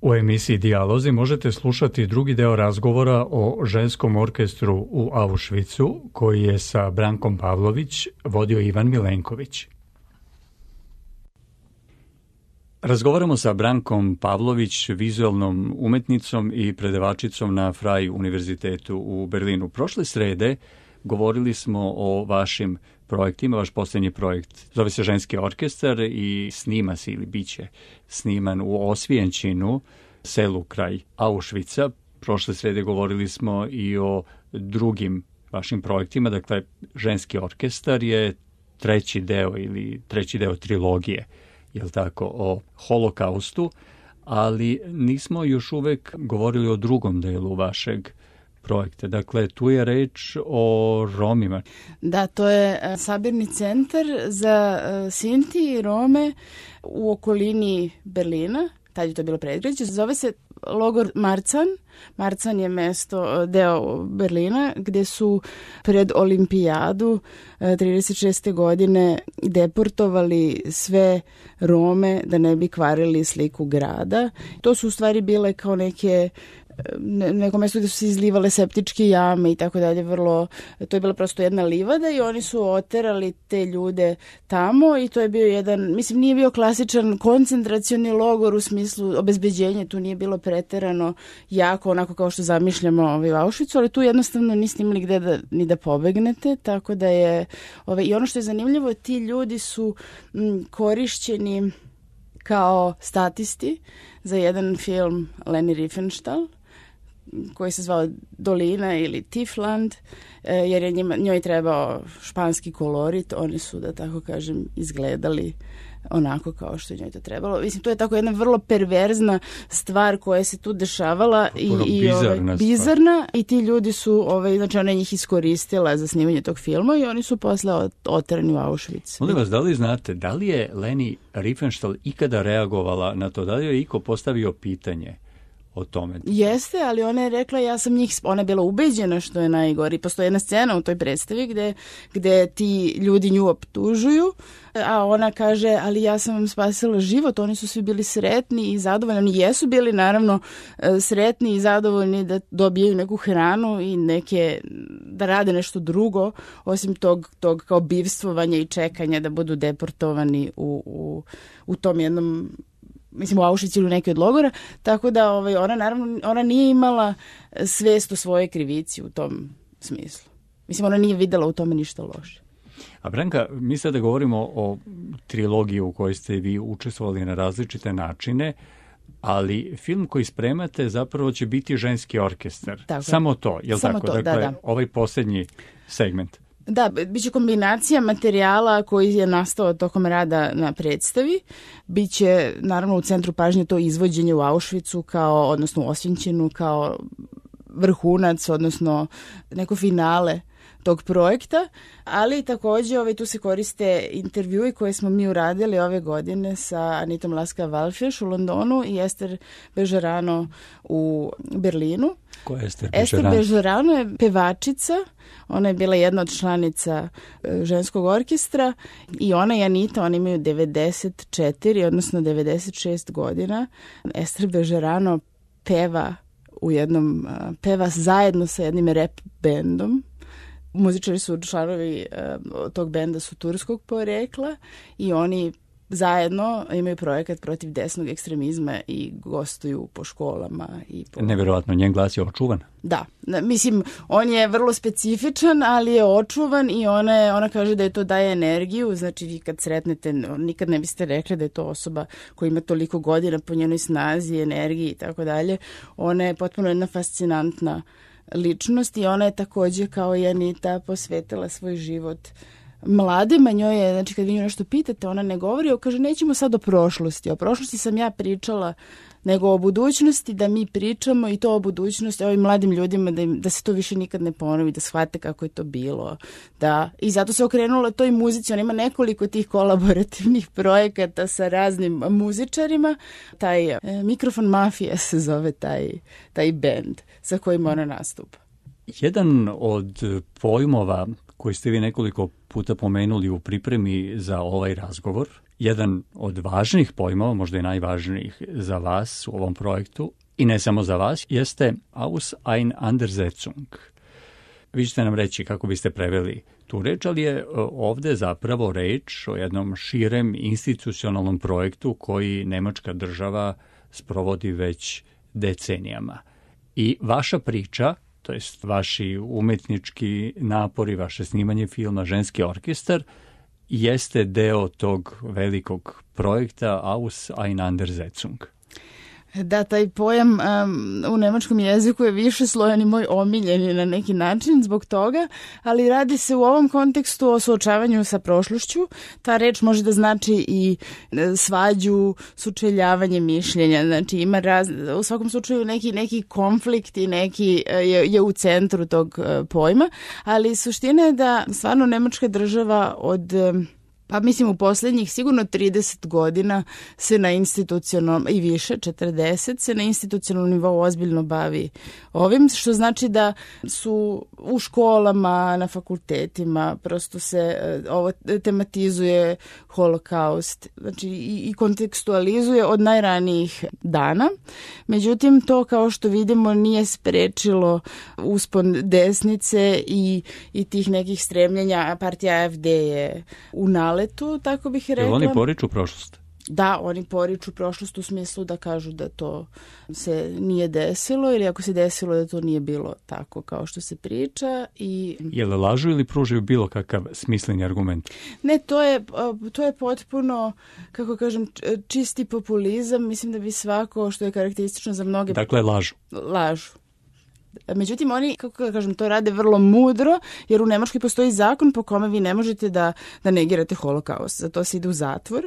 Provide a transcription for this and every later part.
U emisiji Dijalozi možete slušati drugi deo razgovora o ženskom orkestru u Auschwitzu, koji je sa Brankom Pavlović vodio Ivan Milenković. Razgovaramo sa Brankom Pavlović, vizualnom umetnicom i predavačicom na Freie univerzitetu u Berlinu. Prošle srede govorili smo o vašim projektima. Vaš posljednji projekt zove se Ženski orkestar i snima se ili bit će sniman u Osvijenčinu, selu kraj Auschwitza. Prošle srede govorili smo i o drugim vašim projektima. Dakle, Ženski orkestar je treći deo trilogije, jel tako, o holokaustu, ali nismo još uvek govorili o drugom delu vašeg projekta. Dakle, tu je reč o Romima. Da, to je sabirni centar za Sinti i Rome u okolini Berlina. Tad je to bilo predgrađe. Zove se logor Marzahn. Marzahn je deo Berlina gdje su pred olimpijadu 36. godine deportovali sve Rome da ne bi kvarili sliku grada. To su u stvari bile kao neko mjesto gdje su se izlivale septičke jame i tako dalje. To je bila prosto jedna livada i oni su oterali te ljude tamo i to je bio jedan, mislim, nije bio klasičan koncentracioni logor u smislu obezbeđenja, tu nije bilo preterano jako onako kao što zamišljamo u Auschwitzu, ali tu jednostavno niste imali gdje ni da pobegnete, tako da je i ono što je zanimljivo, ti ljudi su korišćeni kao statisti za jedan film Leni Riefenstahl koji se zvao Dolina ili Tiefland, jer je njoj trebao španski kolorit. Oni su, da tako kažem, izgledali onako kao što je njoj to trebalo. Mislim, to je tako jedna vrlo perverzna stvar koja se tu dešavala i bizarna i ti ljudi su, znači ona je njih iskoristila za snimanje tog filma i oni su posle oterani u Auschwitz. Molim vas, da li znate, da li je Leni Riefenstahl ikada reagovala na to? Da li je iko postavio pitanje o tome? Jeste, ali ona je rekla, ona je bila ubeđena što je najgori. Postoji jedna scena u toj predstavi gde ti ljudi nju optužuju, a ona kaže, ali ja sam vam spasila život. Oni su svi bili sretni i zadovoljni. Oni jesu bili naravno sretni i zadovoljni da dobijaju neku hranu i da rade nešto drugo, osim tog kao bivstvovanja i čekanja da budu deportovani u tom jednom, mislim, u Auschwitz ili u neki od logora, tako da ona nije imala svest o svojoj krivici u tom smislu. Mislim, ona nije videla u tome ništa loše. A Branka, mi sada govorimo o trilogiji u kojoj ste vi učestvovali na različite načine, ali film koji spremate zapravo će biti Ženski orkestar. Tako samo to, je li samo tako? To, dakle, da. Ovaj posljednji segment. Da, bit će kombinacija materijala koji je nastao tokom rada na predstavi. Biće, naravno, u centru pažnje to izvođenje u Auschwitzu, odnosno u Osvijenčinu, kao vrhunac, odnosno neko finale tog projekta, ali također tu se koriste intervjui koje smo mi uradili ove godine sa Anitom Laska-Walfisz u Londonu i Ester Bežarano u Berlinu. Ko je Ester Bežarano? Ester Bežarano je pevačica, ona je bila jedna od članica ženskog orkestra i ona i Anita, oni imaju 94, odnosno 96 godina. Ester Bežarano peva zajedno sa jednim rap bendom. Muzičari su članovi tog benda su turskog porekla i oni zajedno imaju projekat protiv desnog ekstremizma i gostuju po školama. Nevjerovatno, njen glas je očuvan. Da, mislim, on je vrlo specifičan, ali je očuvan i ona kaže da je to daje energiju, znači vi kad sretnete, nikad ne biste rekli da je to osoba koja ima toliko godina po njenoj snazi, energiji i tako dalje. Ona je potpuno jedna fascinantna ličnost i ona je također kao i Anita posvetila svoj život mladima. Njoj je, znači kad vi nju nešto pitate, ona ne govori, kaže nećemo sad o prošlosti sam ja pričala, nego o budućnosti, da mi pričamo i to o budućnosti ovim mladim ljudima, da se to više nikad ne ponovi, da shvate kako je to bilo. I zato se okrenula toj muzici, ona ima nekoliko tih kolaborativnih projekata sa raznim muzičarima. Taj Mikrofon Mafija se zove taj band sa kojim ona nastupa. Jedan od pojmova koji ste vi nekoliko puta pomenuli u pripremi za ovaj razgovor Jedan od važnih pojmova, možda i najvažnijih za vas u ovom projektu, i ne samo za vas, jeste Auseinandersetzung. Vi ćete nam reći kako biste preveli tu reč, ali je ovde zapravo reč o jednom širem institucionalnom projektu koji nemačka država sprovodi već decenijama. I vaša priča, to jest vaši umetnički napori, vaše snimanje filma Ženski orkestar, jeste deo tog velikog projekta Auseinandersetzung. Da, taj pojam u nemačkom jeziku je više slojan i moj omiljeni na neki način zbog toga, ali radi se u ovom kontekstu o suočavanju sa prošlošću. Ta reč može da znači i svađu, sučeljavanje mišljenja. Znači ima u svakom slučaju neki konflikt i neki je u centru tog pojma, ali suština je da stvarno nemačka država pa mislim u posljednjih sigurno 30 godina se na institucionalnom i više, 40, se na institucionalnom nivou ozbiljno bavi ovim, što znači da su u školama, na fakultetima, prosto se ovo tematizuje holokaust, znači i kontekstualizuje od najranijih dana. Međutim, to kao što vidimo nije sprečilo uspon desnice i tih nekih stremljenja. Partija AfD je u naletu, tako bih rekla. Jel oni poriču prošlost? Da, oni poriču prošlost u smislu da kažu da to se nije desilo ili ako se desilo da to nije bilo tako kao što se priča. Jel lažu ili pružaju bilo kakav smisleni argument? Ne, to je potpuno, kako kažem, čisti populizam. Mislim da bi svako, što je karakteristično za mnoge... Dakle, lažu. Lažu. Međutim, oni, kako kažem, to rade vrlo mudro, jer u Nemačkoj postoji zakon po kome vi ne možete da negirate holokaust. Za to se ide u zatvor.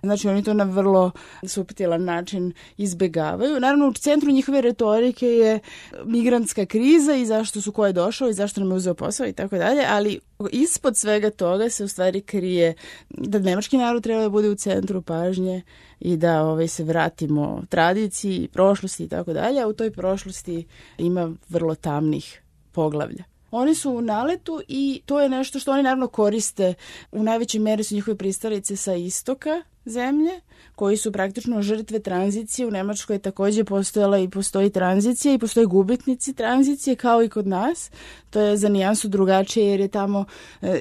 Znači, oni to na vrlo suptilan način izbegavaju. Naravno, u centru njihove retorike je migrantska kriza i zašto su ko je došao i zašto nam je uzeo posao i tako dalje, ali ispod svega toga se u stvari krije da nemački narod treba da bude u centru pažnje i da se vratimo tradiciji, prošlosti i tako dalje, a u toj prošlosti ima vrlo tamnih poglavlja. Oni su u naletu i to je nešto što oni naravno koriste. U najvećoj meri su njihove pristalice sa istoka zemlje, koji su praktično žrtve tranzicije. U Nemačkoj je također postojala i postoji tranzicija i postoje gubitnici tranzicije kao i kod nas. To je za nijansu drugačije jer je tamo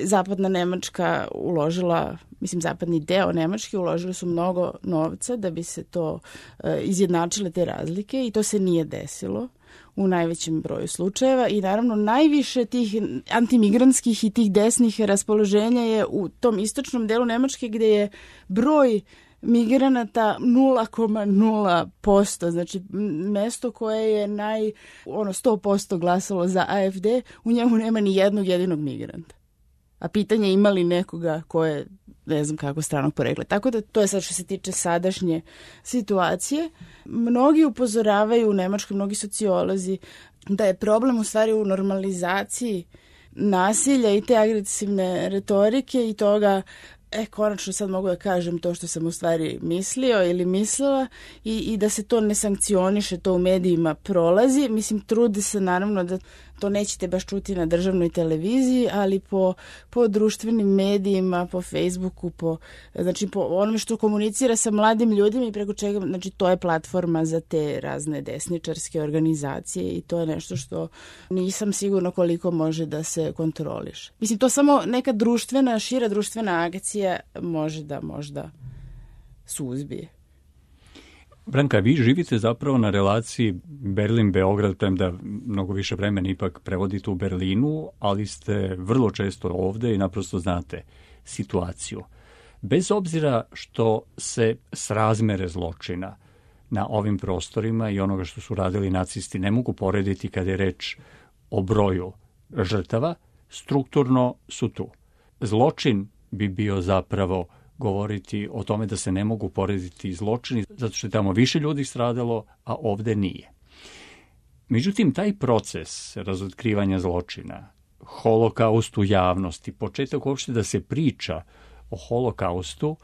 zapadna Nemačka uložila, mislim zapadni deo Nemačke uložili su mnogo novca da bi se to izjednačile te razlike i to se nije desilo u najvećem broju slučajeva i naravno najviše tih antimigrantskih i tih desnih raspoloženja je u tom istočnom delu Nemačke gdje je broj migranata 0,0%, znači mesto koje je 100% glasalo za AfD, u njemu nema ni jednog jedinog migranta. A pitanje je ima li nekoga ko je, ne znam kako, stranog porekla. Tako da to je sad što se tiče sadašnje situacije. Mnogi upozoravaju u Nemačkoj, mnogi sociolozi, da je problem u stvari u normalizaciji nasilja i te agresivne retorike i toga konačno sad mogu da kažem to što sam u stvari mislio ili mislila i da se to ne sankcioniše, to u medijima prolazi. Mislim, trudi se naravno da to nećete baš čuti na državnoj televiziji, ali po društvenim medijima, po Facebooku, znači po onome što komunicira sa mladim ljudima i preko čega, znači to je platforma za te razne desničarske organizacije i to je nešto što nisam sigurna koliko može da se kontroliše. Mislim, to samo neka šira društvena akcija može da možda suzbije. Branka, vi živite zapravo na relaciji Berlin-Beograd, premda mnogo više vremena ipak prevodite u Berlinu, ali ste vrlo često ovde i naprosto znate situaciju. Bez obzira što se srazmere zločina na ovim prostorima i onoga što su radili nacisti ne mogu porediti kada je reč o broju žrtava, strukturno su tu. Zločin bi bio zapravo govoriti o tome da se ne mogu porediti zločini, zato što je tamo više ljudi stradalo, a ovde nije. Međutim, taj proces razotkrivanja zločina, holokaust u javnosti, početak uopšte da se priča o holokaustu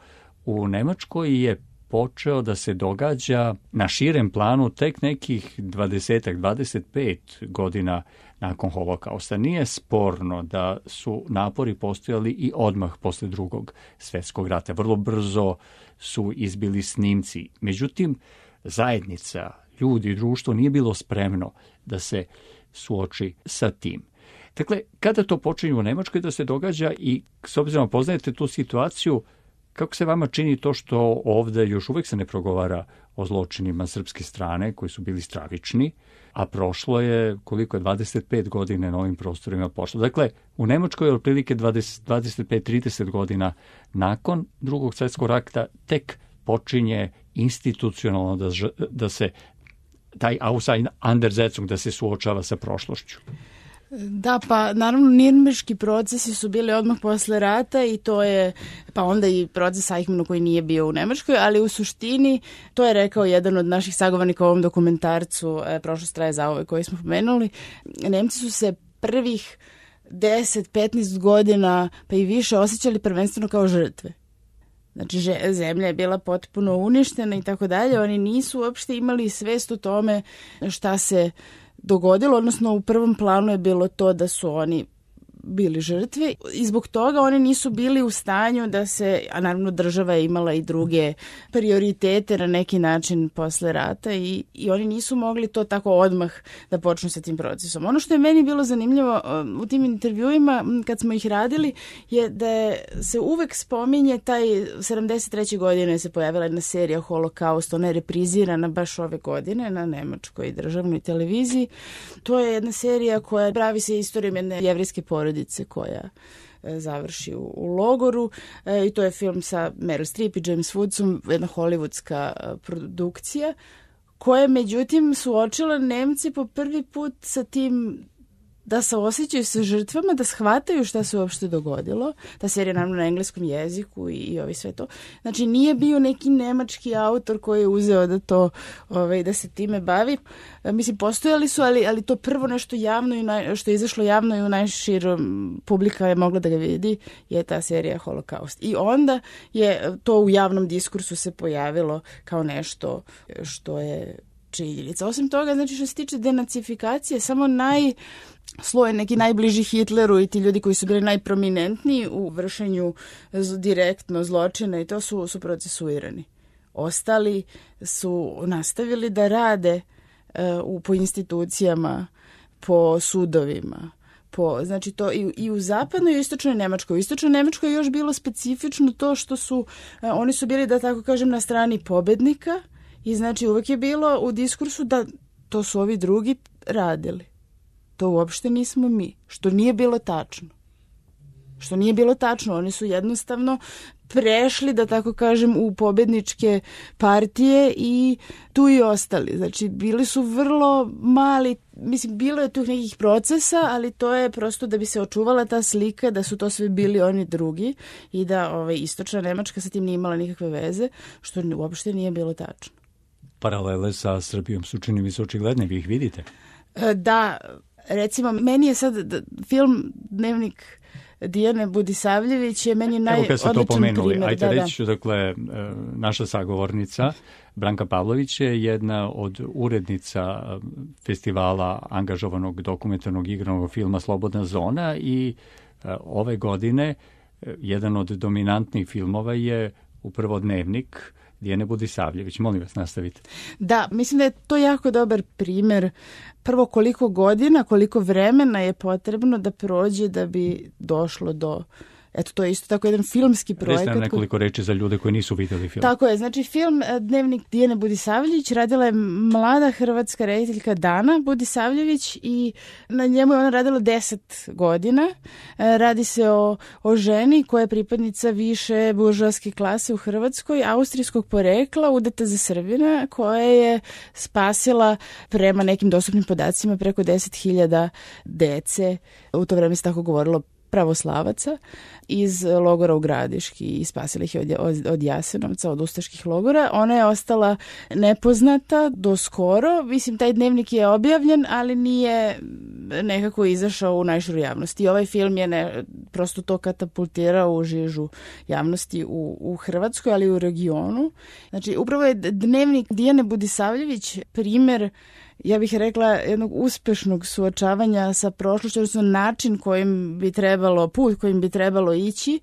u Nemačkoj je počeo da se događa na širem planu tek nekih 25 godina nakon holokausta. Nije sporno da su napori postojali i odmah posle Drugog svjetskog rata. Vrlo brzo su izbili snimci. Međutim, zajednica, ljudi i društvo nije bilo spremno da se suoči sa tim. Dakle, kada to počinje u Nemačkoj da se događa i s obzirom poznajete tu situaciju, kako se vama čini to što ovdje još uvijek se ne progovara o zločinima srpske strane koji su bili stravični, a prošlo je, koliko je, 25 godina na ovim prostorima pošlo. Dakle, u Nemačkoj je otprilike 25-30 godina nakon Drugog svjetskog rata tek počinje institucionalno da se taj Auseinandersetzung, da se suočava sa prošlošću. Da, pa naravno nirnberški procesi su bili odmah posle rata i to je, pa onda i proces Eichmannu koji nije bio u Nemačkoj, ali u suštini, to je rekao jedan od naših sagovornika u ovom dokumentarcu Prošlost traje zauvek koji smo pomenuli, Nemci su se prvih 10-15 godina pa i više osjećali prvenstveno kao žrtve. Znači, zemlja je bila potpuno uništena i tako dalje, oni nisu uopšte imali svest o tome šta se dogodilo, odnosno u prvom planu je bilo to da su oni bili žrtve i zbog toga oni nisu bili u stanju da se, a naravno država je imala i druge prioritete na neki način posle rata i oni nisu mogli to tako odmah da počnu sa tim procesom. Ono što je meni bilo zanimljivo u tim intervjuima kad smo ih radili je da se uvek spominje taj 73. godine se pojavila jedna serija Holokaust, ona je reprizirana baš ove godine na nemačkoj državnoj televiziji. To je jedna serija koja pravi se istorijom jedne jevrejske porodice koja završi u logoru i to je film sa Meryl Streep i James Woodsom, jedna hollywoodska produkcija koja međutim suočila Nemci po prvi put sa tim da se osjećaju sa žrtvama, da shvataju šta se uopšte dogodilo. Ta serija naravno na engleskom jeziku i ovi sve to. Znači nije bio neki nemački autor koji je uzeo da to da se time bavi. Mislim, postojali su, ali to prvo nešto javno i što je izašlo javno i u najširom publika je mogla da ga vidi je ta serija Holokaust. I onda je to u javnom diskursu se pojavilo kao nešto što je činjenica. Osim toga, znači što se tiče denacifikacije, samo sloj neki najbliži Hitleru i ti ljudi koji su bili najprominentniji u vršenju direktno zločina i to su procesuirani. Ostali su nastavili da rade po institucijama, po sudovima. Znači to i u zapadnoj i u istočnoj Nemačkoj. U istočnoj Nemačkoj je još bilo specifično to što oni su bili, da tako kažem, na strani pobednika i znači uvek je bilo u diskursu da to su ovi drugi radili. To uopšte nismo mi, što nije bilo tačno. Oni su jednostavno prešli, da tako kažem, u pobedničke partije i tu i ostali. Znači, bili su vrlo mali, mislim, bilo je tu nekih procesa, ali to je prosto da bi se očuvala ta slika da su to sve bili oni drugi i da istočna Nemačka sa tim nije imala nikakve veze, što uopšte nije bilo tačno. Paralele sa Srbijom su, čini mi se, očigledne, vi ih vidite? Da, recimo, meni je sad film Dnevnik Dijane Budisavljević je meni najodličan primjer. Ajde reći, dakle, naša sagovornica Branka Pavlović je jedna od urednica festivala angažovanog dokumentarnog igranog filma Slobodna zona i ove godine jedan od dominantnih filmova je upravo Dnevnik Dijane Budisavljević. Molim vas, nastavite. Da, mislim da je to jako dobar primjer. Prvo, koliko godina, koliko vremena je potrebno da prođe da bi došlo do... Eto, to je isto tako jedan filmski projekat. Recite nam nekoliko reči za ljude koji nisu vidjeli film. Tako je, znači film Dnevnik Dijane Budisavljević radila je mlada hrvatska rediteljka Dana Budisavljević i na njemu je ona radila 10 godina. Radi se o ženi koja je pripadnica više buržoaske klase u Hrvatskoj, austrijskog porekla, udata za Srbina, koja je spasila prema nekim dostupnim podacima preko 10.000 dece. U to vreme se tako govorilo pravoslavaca iz logora u Gradiški i spasila ih od Jasenovca, od ustaških logora. Ona je ostala nepoznata do skoro. Mislim, taj dnevnik je objavljen, ali nije nekako izašao u najširu javnost. I ovaj film je prosto to katapultirao u žižu javnosti u Hrvatskoj, ali i u regionu. Znači, upravo je Dnevnik Dijane Budisavljević primer, ja bih rekla, jednog uspešnog suočavanja sa prošlošću, odnosno način put kojim bi trebalo ići.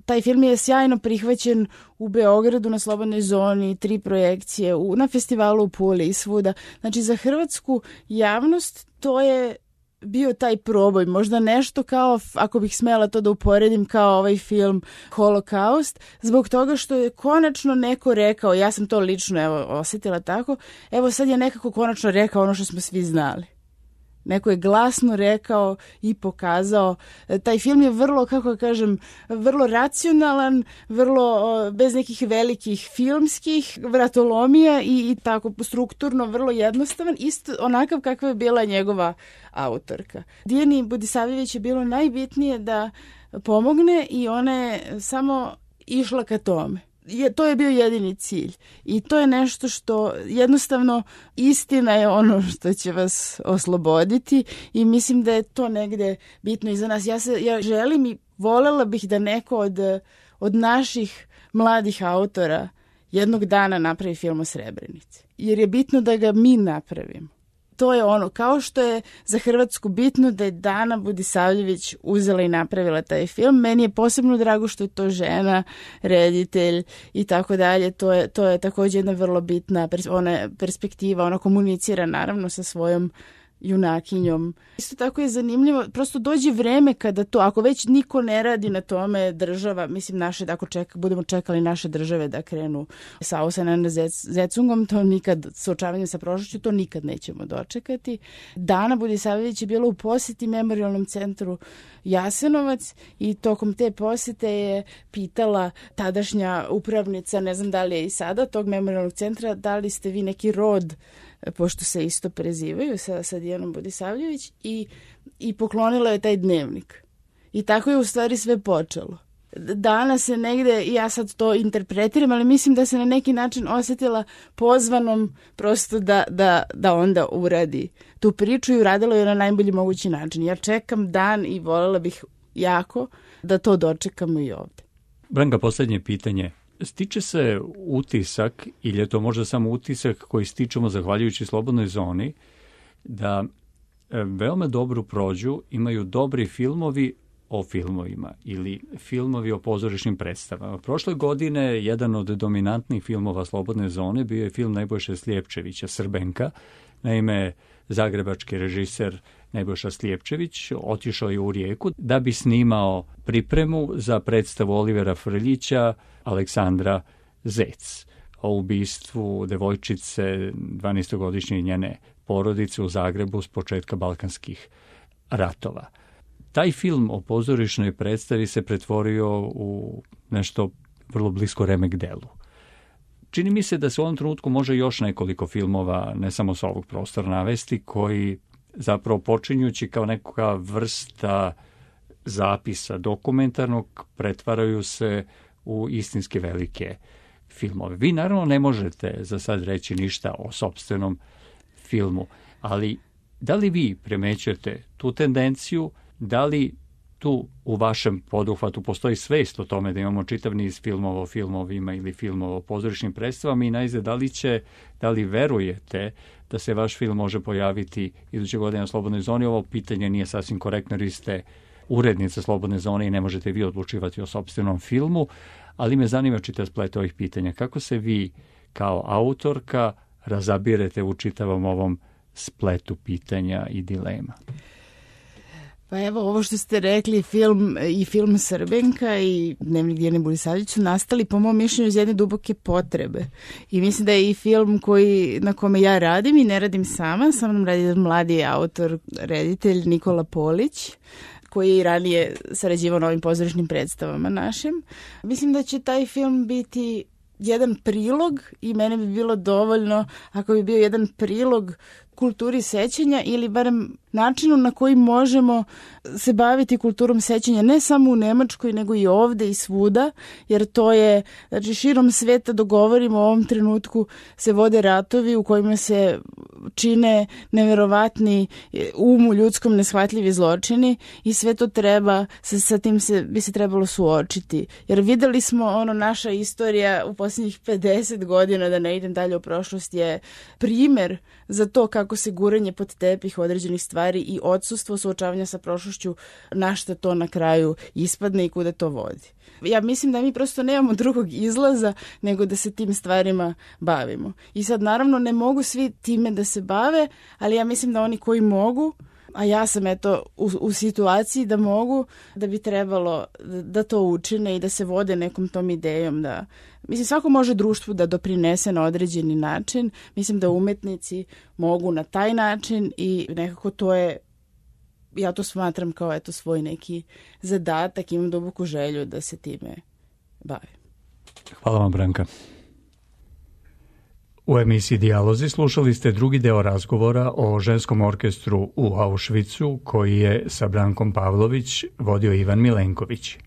Taj film je sjajno prihvaćen u Beogradu na Slobodnoj zoni, 3 projekcije, na festivalu u Puli i svuda. Znači, za hrvatsku javnost to je bio taj proboj, možda nešto kao, ako bih smela to da uporedim, kao ovaj film Holokaust, zbog toga što je konačno neko rekao, ja sam to lično osjetila tako, evo sad je nekako konačno rekao ono što smo svi znali. Neko je glasno rekao i pokazao. Taj film je vrlo, kako kažem, vrlo racionalan, vrlo bez nekih velikih filmskih vratolomija i tako strukturno vrlo jednostavan, isto onakav kakva je bila njegova autorka. Dijani Budisavljević je bilo najbitnije da pomogne i ona je samo išla ka tome. To je bio jedini cilj i to je nešto što jednostavno istina je ono što će vas osloboditi i mislim da je to negde bitno i za nas. Ja želim i volela bih da neko od naših mladih autora jednog dana napravi film o Srebrenici, jer je bitno da ga mi napravimo. To je ono, kao što je za Hrvatsku bitno da je Dana Budisavljević uzela i napravila taj film. Meni je posebno drago što je to žena, reditelj i tako dalje. To je također jedna vrlo bitna perspektiva. Ona komunicira naravno sa svojom junakinjom. Isto tako je zanimljivo, prosto dođe vreme kada to, ako već niko ne radi na tome, država, mislim naše, ako budemo čekali naše države da krenu sa Ausenan Zecungom, to nikad, suočavanjem sa prošlošću, to nikad nećemo dočekati. Dana Budisavljević je bila u posjeti Memorijalnom centru Jasenovac i tokom te posjete je pitala tadašnja upravnica, ne znam da li je i sada, tog Memorijalnog centra, da li ste vi neki rod, pošto se isto prezivaju sa Dijanom Budisavljević i poklonila je taj dnevnik. I tako je u stvari sve počelo. Danas se negde, ja sad to interpretiram, ali mislim da se na neki način osjetila pozvanom prosto da onda uradi tu priču i uradila je na najbolji mogući način. Ja čekam dan i voljela bih jako da to dočekamo i ovde. Branka, posljednje pitanje. Stiče se utisak, ili je to možda samo utisak koji stičemo zahvaljujući Slobodnoj zoni, da veoma dobro prođu, imaju dobri filmovi o filmovima ili filmovi o pozorišnim predstavama. Prošle godine jedan od dominantnih filmova Slobodne zone bio je film Nebojše Slijepčevića, Srbenka. Naime, zagrebački režiser Nebojša Slijepčević otišao je u Rijeku da bi snimao pripremu za predstavu Olivera Frljića Aleksandra Zec o ubistvu devojčice 12-godišnje njene porodice u Zagrebu s početka balkanskih ratova. Taj film o pozorišnoj predstavi se pretvorio u nešto vrlo blisko remek delu. Čini mi se da se u ovom trenutku može još nekoliko filmova, ne samo sa ovog prostora, navesti, koji zapravo počinjući kao neka vrsta zapisa dokumentarnog pretvaraju se u istinski velike filmove. Vi naravno ne možete za sad reći ništa o sopstvenom filmu, ali da li vi primećujete tu tendenciju, da li tu u vašem poduhvatu postoji svest o tome da imamo čitav niz filmova o filmovima ili filmova o pozorišnim predstavama i najzad da li verujete da se vaš film može pojaviti iduće godine na Slobodnoj zoni? Ovo pitanje nije sasvim korektno jer vi ste urednica Slobodne zone i ne možete vi odlučivati o sopstvenom filmu, ali me zanima čitav splet ovih pitanja. Kako se vi kao autorka razabirete u čitavom ovom spletu pitanja i dilema? Pa evo, ovo što ste rekli, film Srbenka i Dnevnik Dijane Budisavljević su nastali, po mom mišljenju, iz jedne duboke potrebe. I mislim da je i film na kome ja radim i ne radim sama, sa mnom radi jedan mladi autor, reditelj Nikola Polić, koji je i ranije sarađivao na ovim pozorišnim predstavama našim. Mislim da će taj film biti jedan prilog i mene bi bilo dovoljno ako bi bio jedan prilog kulturi sećanja ili barem načinu na koji možemo se baviti kulturom sećanja ne samo u Nemačkoj nego i ovde i svuda, jer to je, znači širom sveta dogovorimo u ovom trenutku se vode ratovi u kojima se čine neverovatni u ljudskom neshvatljivi zločini i sve to treba, sa tim bi se trebalo suočiti. Jer videli smo, naša istorija u posljednjih 50 godina, da ne idem dalje u prošlost, je primjer za to kako se guranje pod tepih određenih stvari i odsustvo suočavanja sa prošlošću, na šta to na kraju ispadne i kuda to vodi. Ja mislim da mi prosto nemamo drugog izlaza nego da se tim stvarima bavimo. I sad naravno ne mogu svi time da se bave, ali ja mislim da oni koji mogu, a ja sam u situaciji da mogu, da bi trebalo da to učine i da se vode nekom tom idejom da... Mislim, svako može društvu da doprinese na određeni način. Mislim da umetnici mogu na taj način i nekako to je, ja to smatram kao svoj neki zadatak, imam duboku želju da se time bavim. Hvala vam, Branka. U emisiji Dijalozi slušali ste drugi deo razgovora o ženskom orkestru u Auschwitzu koji je sa Brankom Pavlović vodio Ivan Milenković.